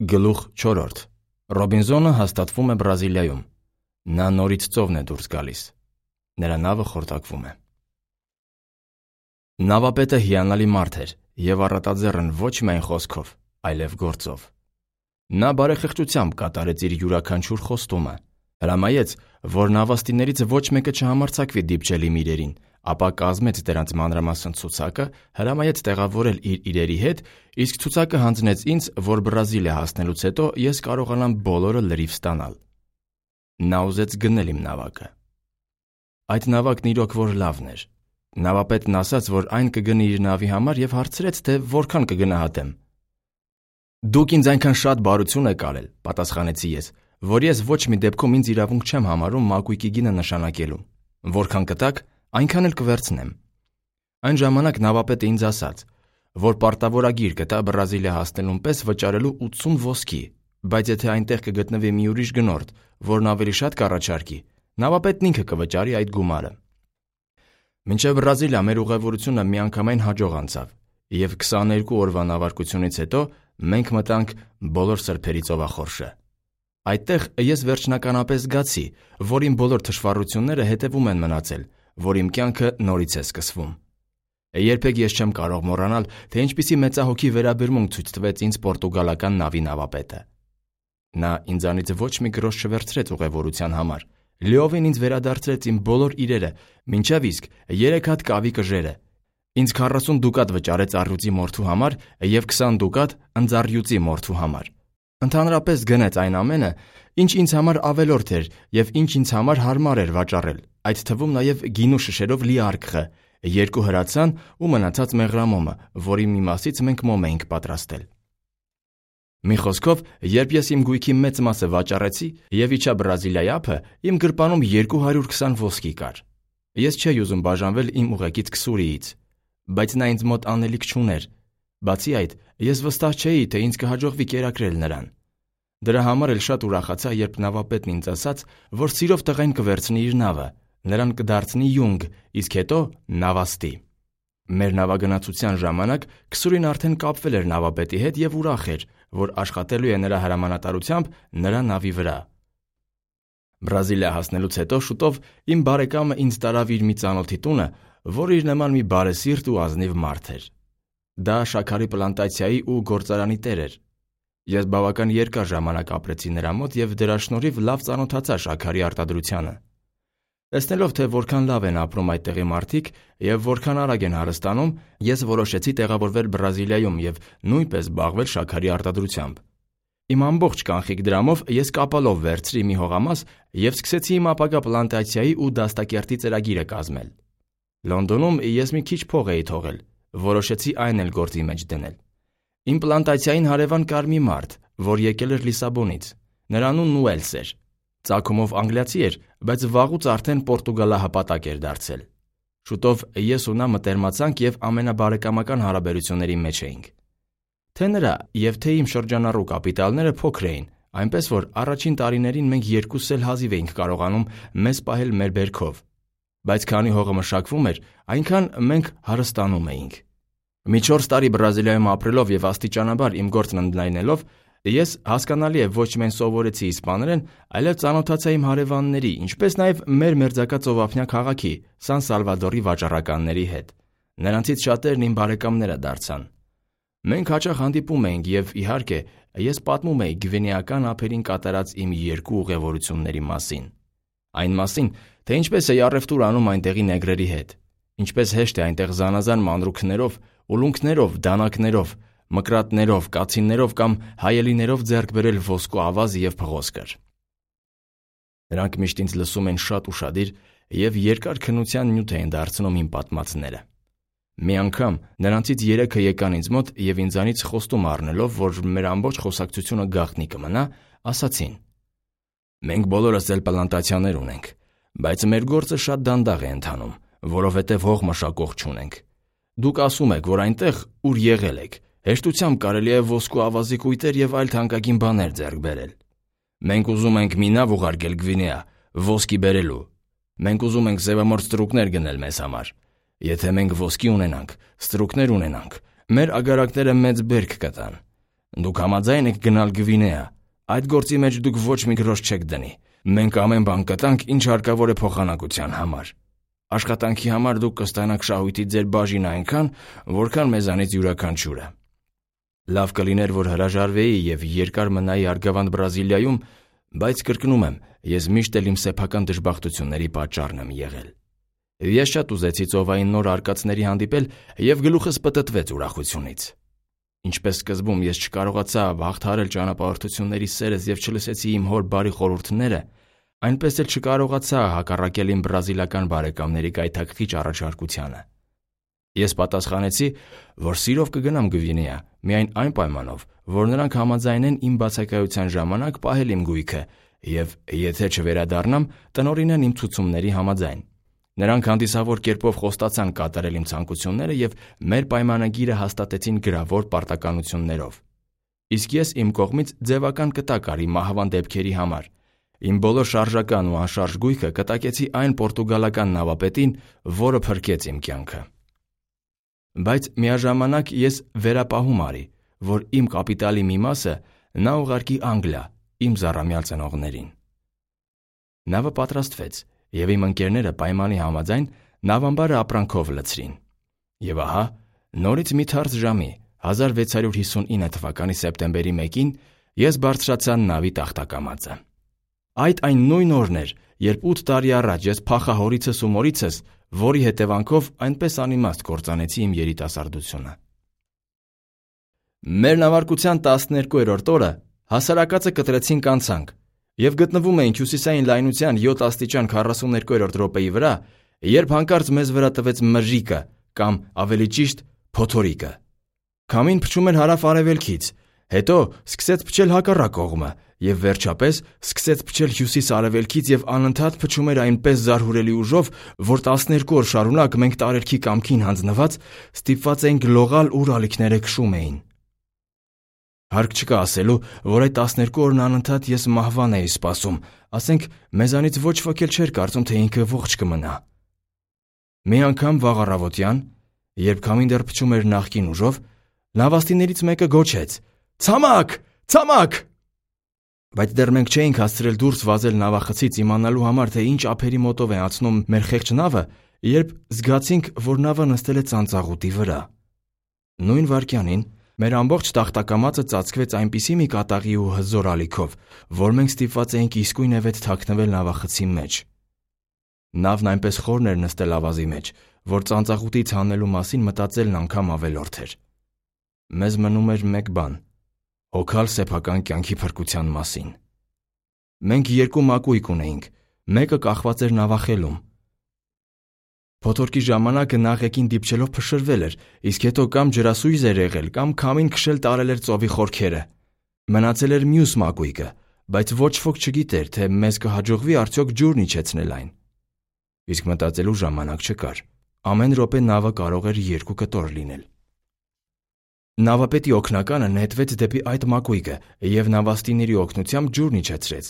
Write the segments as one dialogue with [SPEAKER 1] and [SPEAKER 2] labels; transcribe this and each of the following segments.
[SPEAKER 1] Գլուխ 4. Ռոբինզոնը հաստատվում է Բրազիլիայում։ Նա նորից ծովն է դուրս գալիս։ Նրա նավը խորտակվում է։ Նավապետը հիանալի մարդ էր և առատաձեռն ոչ միայն խոսքով, այլև գործով։ Նա բարեխղճությամբ կատարեց իր յուրաքանչյուր խոստումը, հրամայեց, որ նավաստիներից ոչ մեկը չհամարձակվի դիպչել իմ իրերին, ապա կազմեց դրանց մանրամասն ցուցակը, հրամայեց տեղավորել իր իրերի հետ, իսկ ցուցակը հանձնեց ինձ, որ Բրազիլիա հասնելուց հետո ես կարողանամ բոլորը լրիվ ստանալ։ Նա ուզեց գնել իմ նավակը։ Այդ նավակն իրոք որ լավն էր։ Նավապետն ասաց, որ այն կգնի իր նավի համար և հարցրեց, թե որքան կգնահատեմ։ «Դուք ինձ այնքան շատ բարություն եք արել», պատասխանեցի ես, որ ես ոչ մի դեպքում ինձ իրավունք չեմ համարում մակույկի գինը նշանակելու։ Որքան կտաք, այնքան էլ կվերցնեմ։ Այն ժամանակ նավապետը ինձ ասաց, որ պարտավորագիր կտա Բրազիլիա հասնելուն պես վճարելու 80 ոսկի, բայց եթե այնտեղ կգտնվի մի ուրիշ գնորդ, որն ավելի շատ կառաջարկի, նավապետն ինքը կվճարի այդ գումարը։ Մինչև Բրազիլիա մեր ուղևորությունը միանգամայն հաջող անցավ, և 22 օրվա նավարկությունից հետո մենք մտանք բոլոր սրբերի ծովախորշը։ Այդտեղ ես վերջնականապես զգացի, որ իմ բոլոր թշվառությունները հետևում են մնացել, որ իմ կյանքը նորից է սկսվում։ Երբեք ես չեմ կարող մոռանալ, թե ինչպիսի մեծահոգի վերաբերմունք ցույց տվեց ինձ պորտուգալական նավի նավապետը։ Նա ինձանից ոչ մի գրոշ չվերցրեց ուղևորության համար, լիովին ինձ վերադարձրեց իմ բոլոր իրերը, մինչև իսկ 3 հատ կավի կժերը։ Ինձ 40 դուկատ վճարեց առյուծի մորթու համար և 20 դուկատ ընձառյուծի մորթու համար։ Ընդհանրապես գնեց այն ամենը, ինչ ինձ համար ավելորդ էր և ինչ ինձ համար հարմար էր վաճառել, այդ թվում նաև գինու շշերով լի արկղը, 2 հրացան ու մնացած մեղրամոմը, որի մի մասից մենք մոմ էինք պատրաստել։ Մի խոսքով, երբ ես իմ գույքի մեծ մասը վաճառեցի և իջա Բրազիլիայի ափը, իմ գրպանում 220 ոսկի կար։ Ես չէի ուզում բաժանվել իմ ուղեկից Քսուրիից, բայց նա ինձ մոտ անելիք չուներ։ Բացի այդ, ես վստահ չէի, թե ինձ կհաջողվի կերակրել նրան։ Դրա համար էլ շատ ուրախացա, երբ նավապետն ինձ ասաց, որ սիրով տղեն կվերցնի իր նավը, նրան կդարձնի յունգ, իսկ հետո նավաստի։ Մեր նավագնացության ժամանակ Քսուրին արդեն կապվել էր նավապետի հետ և ուրախ էր, որ աշխատելու է նրա հրամանատարությամբ նրա նավի վրա։ Բրազիլիա հասնելուց հետո շուտով իմ բարեկամը ինձ տարավ իր մի ծանոթի տունը, որ իր նման մի բարեսիրտ ու ազնիվ մարդ էր։ Դա շաքարի պլանտացիայի ու գործարանի տեր էր։ Ես բավական երկար ժամանակ ապրեցի նրա մոտ և դրա շնորհիվ լավ ծանոթացա շաքարի արտադրությանը։ Տեսնելով, թե որքան լավ են ապրում այդտեղի մարդիկ և որքան արագ են հարստանում, ես որոշեցի տեղավորվել Բրազիլիայում և նույնպես զբաղվել շաքարի արտադրությամբ։ Իմ ամբողջ կանխիկ դրամով ես կապալով վերցրի մի հողամաս և սկսեցի իմ ապագա պլանտացիայի ու դաստակերտի ծրագիրը կազմել։ Լոնդոնում ես մի քիչ փող էի թողել, որոշեցի այն էլ գործի մեջ դնել։ Իմ պլանտացիային հարևան կար մի մարդ, որ եկել էր Լիսաբոնից։ Նրա անունն Ուելս էր։ Ծագումով անգլիացի էր, բայց վաղուց արդեն պորտուգալահպատակ էր դարձել։ Շուտով ես ու նա մտերմացանք և ամենաբարեկամական հարաբերությունների մեջ էինք։ Թե նրա և թե իմ շրջանառու կապիտալները փոքր էին, այնպես որ առաջին տարիներին մենք երկուսս էլ հազիվ էինք կարողանում մեզ պահել մեր բերքով, բայց քանի հողը մշակվում էր, այնքան մենք հարստանում էինք։ Մի 4 տարի Բրազիլիայում ապրելով և աստիճանաբար իմ գործն ընդլայնելով, ես հասկանալի է ոչ միայն սովորեցի իսպաներեն, այլև ծանոթացա իմ հարևանների, ինչպես նաև մեր մերձակա ծովափնյա քաղաքի Սան Սալվադորի վաճառականների հետ։ Նրանցից շատերն իմ բարեկամները դարձան։ Մենք հաճախ հանդիպում էինք և, իհարկե, ես պատմում էի գվինեական ափերին կատարած իմ 2 ուղևորությունների մասին։ Այն մասին, թե ինչպես էի առևտուր անում այնտեղի նեգրերի հետ, ինչպես հեշտ է այնտեղ զանազան մանրուքներով, ուլունքներով, դանակներով, մկրատներով, կացիններով կամ հայելիներով ձեռք բերել ոսկու ավազ և փղոսկր։ Նրանք միշտ ինձ լսում են շատ ուշադիր և երկար քննության նյութ էին դարձնում իմ պատմածները։ Մի անգամ նրանցից 3-ը եկան ինձ մոտ և ինձանից խոստում առնելով, որ մեր ամբողջ խոսակցությունը գաղտնի կմնա, ասացին. «Մենք բոլորս էլ պլանտացիաներ ունենք, բայց մեր գործը շատ դանդաղ է ընթանում, որովհետև հող մշակող չունենք։ Դուք ասում եք, որ այնտեղ, ուր եղել եք, հեշտությամբ կարելի է ոսկու ավազի կույտեր և այլ թանկագին բաներ ձեռք բերել։ Մենք ուզում ենք մի նավ ուղարկել Գվինեա, ոսկի բերելու։ Մենք ուզում ենք սևամորթ ստրուկներ գնել մեզ համար։ Եթե մենք ոսկի ունենանք, ստրուկներ ունենանք, մեր ագարակները մեծ բերք կտան։ Դուք համաձայն եք գնալ Գվինեա։ Այդ գործի մեջ դուք ոչ մի գրոշ չեք դնի։ Մենք ամեն բան կտանք, ինչ հարկավոր է փոխանակության համար։ Աշխատանքի համար դուք կստանաք շահույթի ձեր բաժինը այնքան, որքան մեզանից յուրաքանչյուրը։ Լավ կլիներ, որ հրաժարվեի եւ երկար մնայի Արգավանդ Բրազիլիայում, բայց կրկնում եմ, ես միշտ էլ իմ սեփական դժբախտությունների պատճառն եմ եղել։ Ես շատ ուզեցի ծովային նոր արկածների հանդիպել եւ գլուխս պտտվեց ուրախությունից։ Ինչպես սկզբում ես չկարողացա հաղթահարել ճանապարհորդությունների սերս եւ չլսեցի իմ հոր բարի խորհուրդները, այնպես էլ չկարողացա հակառակել իմ բրազիլական բարեկամների գայթակղիչ առաջարկությանը։ Ես պատասխանեցի, որ սիրով կգնամ Գվինեա, միայն այն պայմանով, որ նրանք համաձայնեն իմ բացակայության ժամանակ պահել իմ գույքը եւ, եթե չվերադառնամ, տնօրինեն իմ ցուցումների համաձայն։ Նրանք հանդիսավոր կերպով խոստացան կատարել իմ ցանկությունները եւ մեր պայմանագիրը հաստատեցին գրավոր պարտականություններով։ Իսկ ես իմ կողմից ձևական կտակ արի մահվան դեպքերի համար։ Իմ բոլոր շարժական ու անշարժ գույքը կտակեցի այն պորտուգալական նավապետին, որը փրկեց իմ կյանքը։ Բայց միաժամանակ ես վերապահում արի, որ իմ կապիտալի մի մասը նա ուղարկի Անգլիա իմ զառամյալ ծնողներին։ Նավը պատրաստվեց, եւ իմ ընկերները պայմանի համաձայն նավամբարը ապրանքով լցրին։ Եվ ահա, նորից մի թարս ժամի 1659 թվականի սեպտեմբերի 1-ին ես բարձրացա նավի տախտակամածը։ Այդ այն նույն օրն էր, երբ 8 տարի առաջ ես փախա հորիցս ու մորիցս, որի հետևանքով այնպես անիմաստ կործանեցի իմ երիտասարդությունը։ Մեր նավարկության 12-րդ օրը հասարակածը կտրեցին կանցանք եւ գտնվում էինք հյուսիսային լայնության 7 աստիճան 42-րդ րոպեի վրա, երբ հանկարծ մեզ վրա տվեց մրրիկը կամ ավելի ճիշտ փոթորիկը։ Քամին փչում էր հարավ-արևելքից, հետո սկսեց փչել հակառակ կողմը եւ վերջապես սկսեց փչել հյուսիս-արևելքից եւ անընդհատ փչում էր այնպես զարհուրելի ուժով, որ 12 օր շարունակ մենք տարերքի կամքին հանձնված ստիպված էինք լողալ ու ռալիքները քշում էին։ Հարկ չկա ասելու, որ այդ 12 օրն անընդհատ ես մահվան էի սպասում, ասենք մեզանից ոչ ոք էլ չէր կարծում, թե ինքը ողջ կմնա։ Մի անգամ վաղ առավոտյան, երբ քամին դեռ փչում էր նախկին ուժով, նավաստիներից մեկը գոչեց. «Ցամաք! Ցամաք!» Բայց դեռ մենք չէինք հասցրել դուրս վազել նավախցից իմանալու համար, թե ինչ ափերի մոտով է անցնում մեր խեղճ նավը, երբ զգացինք, որ նավը նստել է ծանծաղուտի վրա։ Նույն վայրկյանին մեր ամբողջ տախտակամածը ծածկվեց այնպիսի մի կատաղի ու հզոր ալիքով, որ մենք ստիպված էինք իսկույնևեթ թաքնվել նավախցի մեջ։ Նավն այնպես խորն էր նստել ավազի մեջ, որ ծանծաղուտից հանելու մասին մտածելն անգամ ավելորդ էր։ Մեզ մնում էր մեկ բան՝ հոգալ սեփական կյանքի փրկության մասին։ Մենք երկու մակույկ ունեինք, մեկը կախված էր նավախելում։ Փոթորկի ժամանակը նախեկին դիպչելով փշրվել էր, իսկ հետո կամ ջրասույզ էր եղել, կամ քամին քշել տարել էր ծովի խորքերը։ Մնացել էր մյուս մակույկը, բայց ոչ ոք չգիտեր, թե մեզ կհաջողվի արդյոք ջուրն իջեցնել այն։ Իսկ մտածելու ժամանակ չկար։ Ամեն րոպե նավը կարող էր 2 կտոր լինել։ Նավապետի օգնականը նետվեց դեպի այդ մակույկը եւ նավաստիների օգնությամբ ջուրն իջեցրեց։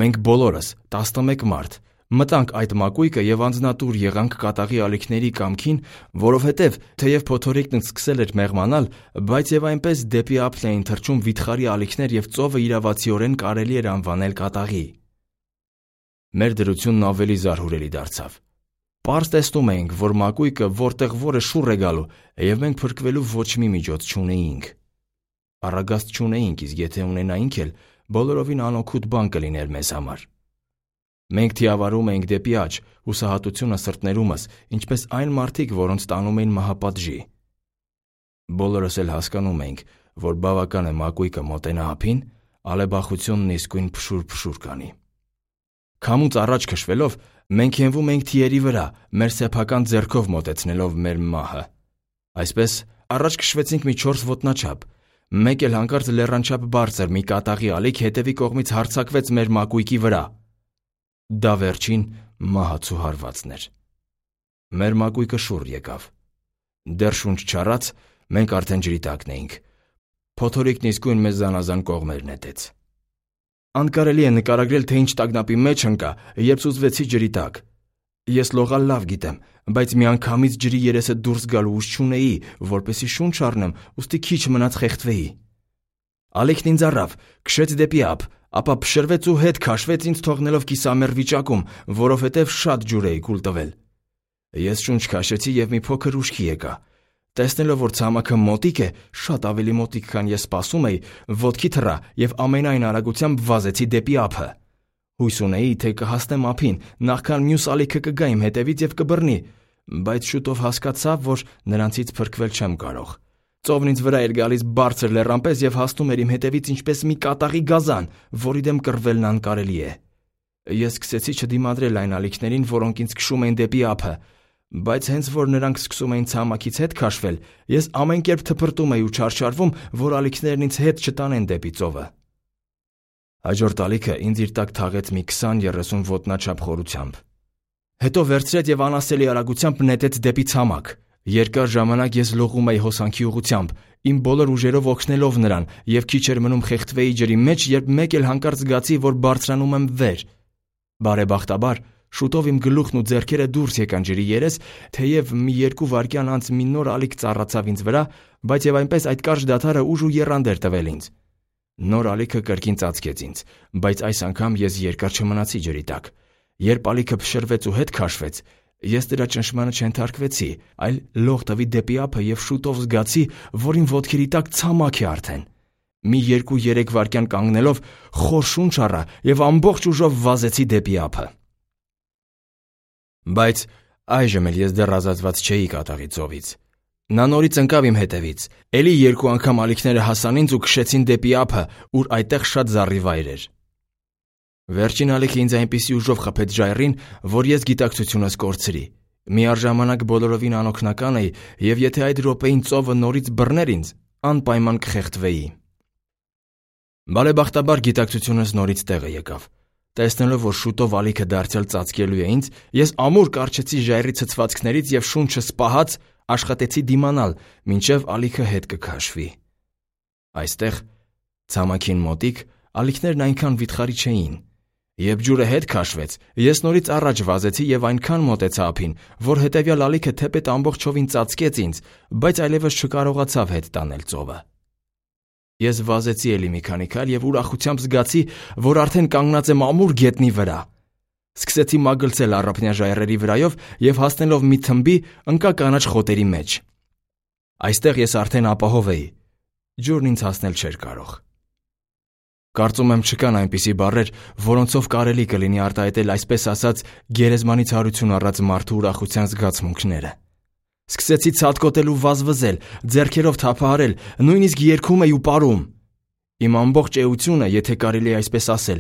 [SPEAKER 1] Մենք բոլորս 11 մարդ մտանք այդ մակույկը եւ անձնատուր եղանք կատաղի ալիքների կամքին, որովհետեւ թեև փոթորիկն սկսել էր մեղմանալ, բայց եւ այնպես դեպի ափն էին թռչում վիթխարի ալիքներ եւ ծովը իրավացիորեն կարելի էր անվանել կատաղի։ Մեր դրությունն ավելի զարհուրելի դարձավ։ Պարզ տեսնում էինք, որ մակույկը որտեղ որը շուռ է գալու, եւ մենք փրկվելու ոչ մի միջոց չունեինք։ Առագաստ չունեինք, իսկ եթե ունենայինք էլ, բոլորովին անօգուտ բան կլիներ մեզ համար։ Մենք թիավարում էինք դեպի աջ, հուսահատությունը սրտներումս, ինչպես այն մարդիկ, որոնց տանում էին մահապատժի։ Բոլորս էլ հասկանում էինք, որ բավական է մակույկը մոտենա ափին, ալեբախությունն իսկույն փշուր կանի։ Քամուց առաջ քշվելով, մենք հենվում էինք թիերի վրա, մեր սեփական ձեռքով մոտեցնելով մեր մահը։ Այսպես առաջ քշվեցինք մի 4 ոտնաչափ։ Մեկ էլ հանկարծ լեռանչափ բարձր մի կատաղի ալիք հետևի կողմից հարձակվեց մեր մակույկի վրա։ Դա վերջին մահացու հարվածն էր։ Մեր մակույկը շուռ եկավ։ Դեռ շունչ չառած, մենք արդեն ջրի տակն էինք։ Փոթորիկն իսկույն մեզ զանազան կողմեր նետեց։ Անկարելի է նկարագրել, թե ինչ տագնապի մեջ ընկա, երբ սուզվեցի ջրի տակ։ Ես լողալ լավ գիտեմ, բայց միանգամից ջրի երեսը դուրս գալու ուժ չունեի, որպեսզի շունչ առնեմ, ուստի քիչ մնաց խեղդվեի։ Ալիքն ինձ առավ, քշեց դեպի ափ, ապա փշրվեց ու հետ քաշվեց ինձ թողնելով կիսամեռ վիճակում, որովհետև շատ ջուր էի կուլ տվել։ Ես շունչ քաշեցի և մի փոքր ուշքի եկա։ Տեսնելով, որ ցամաքը մոտիկ է, շատ ավելի մոտիկ, քան ես սպասում էի, ոտքի թռա և ամենայն արագությամբ վազեցի դեպի ափը։ Հույս ունեի, թե կհասնեմ ափին, նախքան մյուս ալիքը կգա իմ հետևից և կբռնի, բայց շուտով հասկացա, որ նրանցից փրկվել չեմ կարող։ Ծովն ինձ վրա էր գալիս բարձր լեռան պես և հասնում էր իմ հետևից ինչպես մի կատաղի գազան, որի դեմ կռվելն անկարելի է։ Ես սկսեցի չդիմադրել այն ալիքներին, որոնք ինձ քշում էին դեպի ափը, բայց հենց որ նրանք սկսում էին ցամաքից հետ քաշվել, ես ամեն կերպ թփրտում էի ու չարչարվում, որ ալիքներն ինձ հետ չտանեն դեպի ծովը։ Հաջորդ ալիքը ինձ իր տակ թաղեց մի 20-30 ոտնաչափ խորությամբ։ Հետո վերցրեց և անասելի արագությամբ նետեց դեպի ցամաք։ Երկար ժամանակ ես լողում էի հոսանքի ուղղությամբ, իմ բոլոր ուժերով օգնելով նրան, և քիչ էր մնում խեղդվեի ջրի մեջ, երբ մեկ էլ հանկարծ զգացի, որ բարձրանում եմ վեր։ Բարեբախտաբար, շուտով իմ գլուխն ու ձեռքերը դուրս եկան ջրի երես, թեև մի 2 վայրկյան անց մի նոր ալիք ծառացավ ինձ վրա, բայց և այնպես այդ կարճ դադարը ուժ ու եռանդ էր տվել ինձ։ Նոր ալիքը կրկին ծածկեց ինձ, բայց այս անգամ ես երկար չմնացի ջրի տակ։ Երբ ալիքը փշրվեց ու հետ քաշվեց, ես դրա ճնշմանը չենթարկվեցի, այլ լող տվի դեպի ափը և շուտով զգացի, որ իմ ոտքերի տակ ցամաք է արդեն։ Մի 2-3 վայրկյան կանգնելով խոր շունչ առա և ամբողջ ուժով վազեցի դեպի ափը։ Բայց այժմ էլ ես դեռ ազատված չէի կատաղի ծովից։ Նա նորից ընկավ իմ հետևից, էլի 2 անգամ ալիքները հասան ինձ ու քշեցին դեպի ափը, ուր այդտեղ շատ զառիվայր էր։ Վերջին ալիքը ինձ այնպիսի ուժով խփեց ժայռին, որ ես գիտակցությունս կորցրի։ Միառժամանակ բոլորովին անօգնական էի, և եթե այդ րոպեին ծովը նորից բռներ ինձ, անպայման կխեղդվեի։ Բարեբախտաբար գիտակցությունս նորից տեղը եկավ։ Տեսնելով, որ շուտով ալիքը դարձյալ ծածկելու է ինձ, ես ամուր կառչեցի ժայռի ցցվածքներից և շունչս պահած աշխատեցի դիմանալ, մինչև ալիքը հետ կքաշվի։ Այստեղ, ցամաքին մոտիկ, ալիքներն այնքան վիթխարի չէին։ Երբ ջուրը հետ քաշվեց, ես նորից առաջ վազեցի և այնքան մոտեցա ափին, որ հետևյալ ալիքը թեպետ ամբողջովին ծածկեց ինձ, բայց այլևս չկարողացավ հետ տանել ծովը։ Ես վազեցի էլի մի քանի քայլ և ուրախությամբ զգացի, որ արդեն կանգնած եմ ամուր գետնի վրա։ Սկսեցի մագլցել առափնյա ժայռերի վրայով և հասնելով մի թմբի, ընկա կանաչ խոտերի մեջ։ Այստեղ ես արդեն ապահով էի։ Ջուրն ինձ հասնել չէր կարող։ Կարծում եմ չկան այնպիսի բառեր, որոնցով կարելի կլինի արտահայտել այսպես ասած գերեզմանից հարություն առած մարդու ուրախության զգացմունքները։ Սկսեցի ցատկոտել ու վազվզել, ձեռքերով թափահարել, նույնիսկ երգում էի ու պարում։ Իմ ամբողջ էությունը, եթե կարելի է այսպես ասել,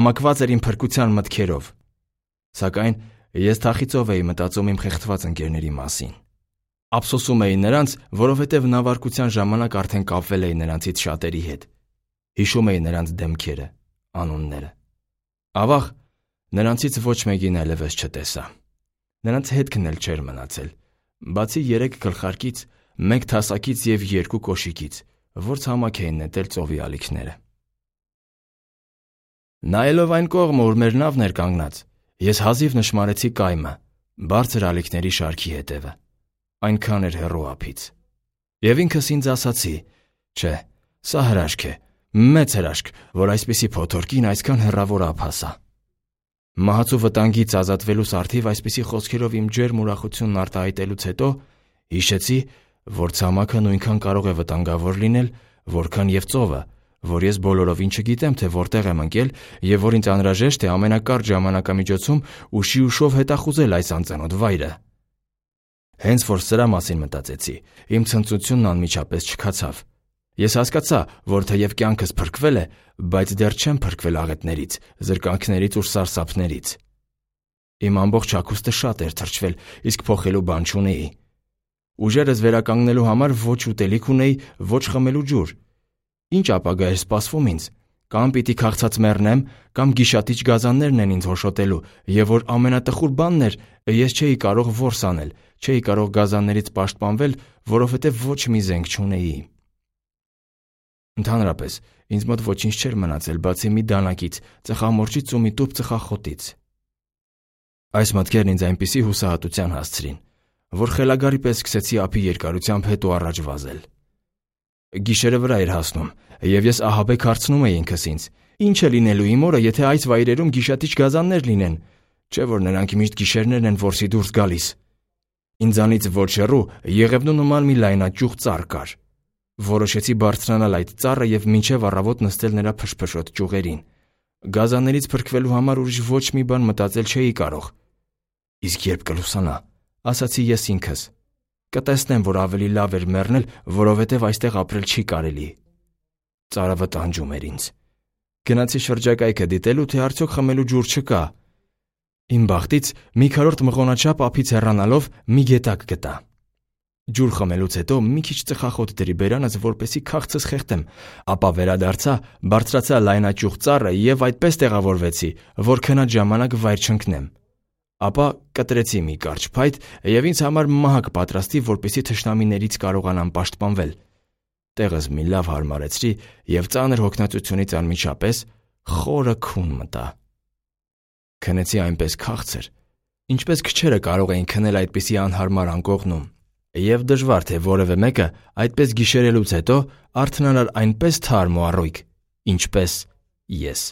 [SPEAKER 1] համակված էր իմ փրկության մտքերով։ Սակայն ես թախիծով էի մտածում իմ խեղդված ընկերների մասին։ Ափսոսում էի նրանց, որովհետև նավարկության ժամանակ արդեն կապվել էի նրանցից շատերի հետ։ Հիշում էի նրանց դեմքերը, անունները։ Ավաղ, նրանցից ոչ մեկին այլևս չտեսա։ Նրանց հետքն էլ չէր մնացել, բացի 3 գլխարկից, 1 թասակից և 2 կոշիկից, որ ցամաք էին նետել ծովի ալիքները։ Նայելով այն կողմը, ուր մեր նավն էր կանգնած, ես հազիվ նշմարեցի կայմը, բարձր ալիքների շարքի հետևը։ Այնքան էր հեռու ափից։ Եվ ինքս ինձ ասացի. չէ, սա հրաշք է, մեծ հրաշք, որ այսպիսի փոթորկին այսքան հեռավոր ափ հասա։ Մահացու վտանգից ազատվելուս արդիվ այսպիսի խոսքերով իմ ջերմ ուրախությունն արտահայտելուց հետո հիշեցի, որ ցամաքը նույնքան կարող է վտանգավոր լինել, որքան և ծովը, որ ես բոլորովին չգիտեմ, թե որտեղ եմ ընկել և որ ինձ անհրաժեշտ է ամենակարճ ժամանակամիջոցում ուշի ուշով հետախուզել այս անծանոթ վայրը։ Հենց որ սրա մասին մտածեցի, իմ ցնծությունն անմիջապես չքացավ։ Ես հասկացա, որ թեև կյանքս փրկվել է, բայց դեռ չեմ փրկվել աղետներից, զրկանքներից ու սարսափներից։ Իմ ամբողջ հագուստը շատ էր թրջվել, իսկ փոխելու բան չունեի։ Ուժերս վերականգնելու համար ոչ ուտելիք ունեի, ոչ խմելու ջուր։ Ինչ ապագա էր սպասվում ինձ։ Կամ պիտի քաղցած մեռնեմ, կամ գիշատիչ գազաններն են ինձ հոշոտելու, և որ ամենատխուր բանն էր, ես չէի կարող որս անել, չէի կարող գազաններից պաշտպանվել, որովհետև ոչ մի զենք չունեի։ Ընդհանրապես, ինձ մոտ ոչինչ չէր մնացել, բացի մի դանակից, ծխամորճից ու մի տուփ ծխախոտից։ Այս մտքերն ինձ այնպիսի հուսահատության հասցրին, որ խելագարի պես սկսեցի ափի երկարությամբ հետ ու առաջ վազել։ Գիշերը վրա էր հասնում, եւ ես ահաբեկ հարցնում էի ինքս ինձ. ինչ է լինելու իմ օրը, եթե այս վայրերում գիշատիչ գազաններ լինեն, չէ՞ որ նրանք միշտ գիշերներն են որսի դուրս գալիս։ Ինձանից ոչ հեռու Եղևնու նման մի լայնաճյուղ ծառ կար։ Որոշեցի բարձրանալ այդ ծառը եւ մինչեւ առավոտ նստել նրա փշփշոտ ճյուղերին։ Գազաններից փրկվելու համար ուրիշ ոչ մի բան մտածել չէի կարող։ Իսկ երբ կլուսանա, ասացի ես ինքս, կտեսնեմ, որ ավելի լավ էր մեռնել, որովհետև այստեղ ապրել չի կարելի։ Ծառը վտանգում էր ինձ։ Գնացի շրջակայքը դիտելու, թե արդյոք խմելու ջուր չկա։ Իմ բախտից մի քառորդ մղոնաչափ ափից հեռանալով մի գետակ գտա։ Ջուր խմելուց հետո մի քիչ ծխախոտ դրի բերանս, որպեսզի քաղցս խեղդեմ, ապա վերադարձա, բարձրացա լայնաճյուղ ծառը եւ այդպես տեղավորվեցի, որ քնած ժամանակ վայր չընկնեմ։ Ապա կտրեցի մի կարճ փայտ եւ ինձ համար մահակ պատրաստի, որպեսզի թշնամիներից կարողանամ պաշտպանվել։ Տեղս մի լավ հարմարեցրի եւ ծանր հոգնածությունից անմիջապես խորը քուն մտա։ Քնեցի այնպես քաղցր, ինչպես քչերը կարող էին քնել այդպիսի անհարմար անկողնում, եւ դժվար թե որևէ մեկը այդպես գիշերելուց հետո արթնանար այնպես թարմ ու առույգ, ինչպես ես։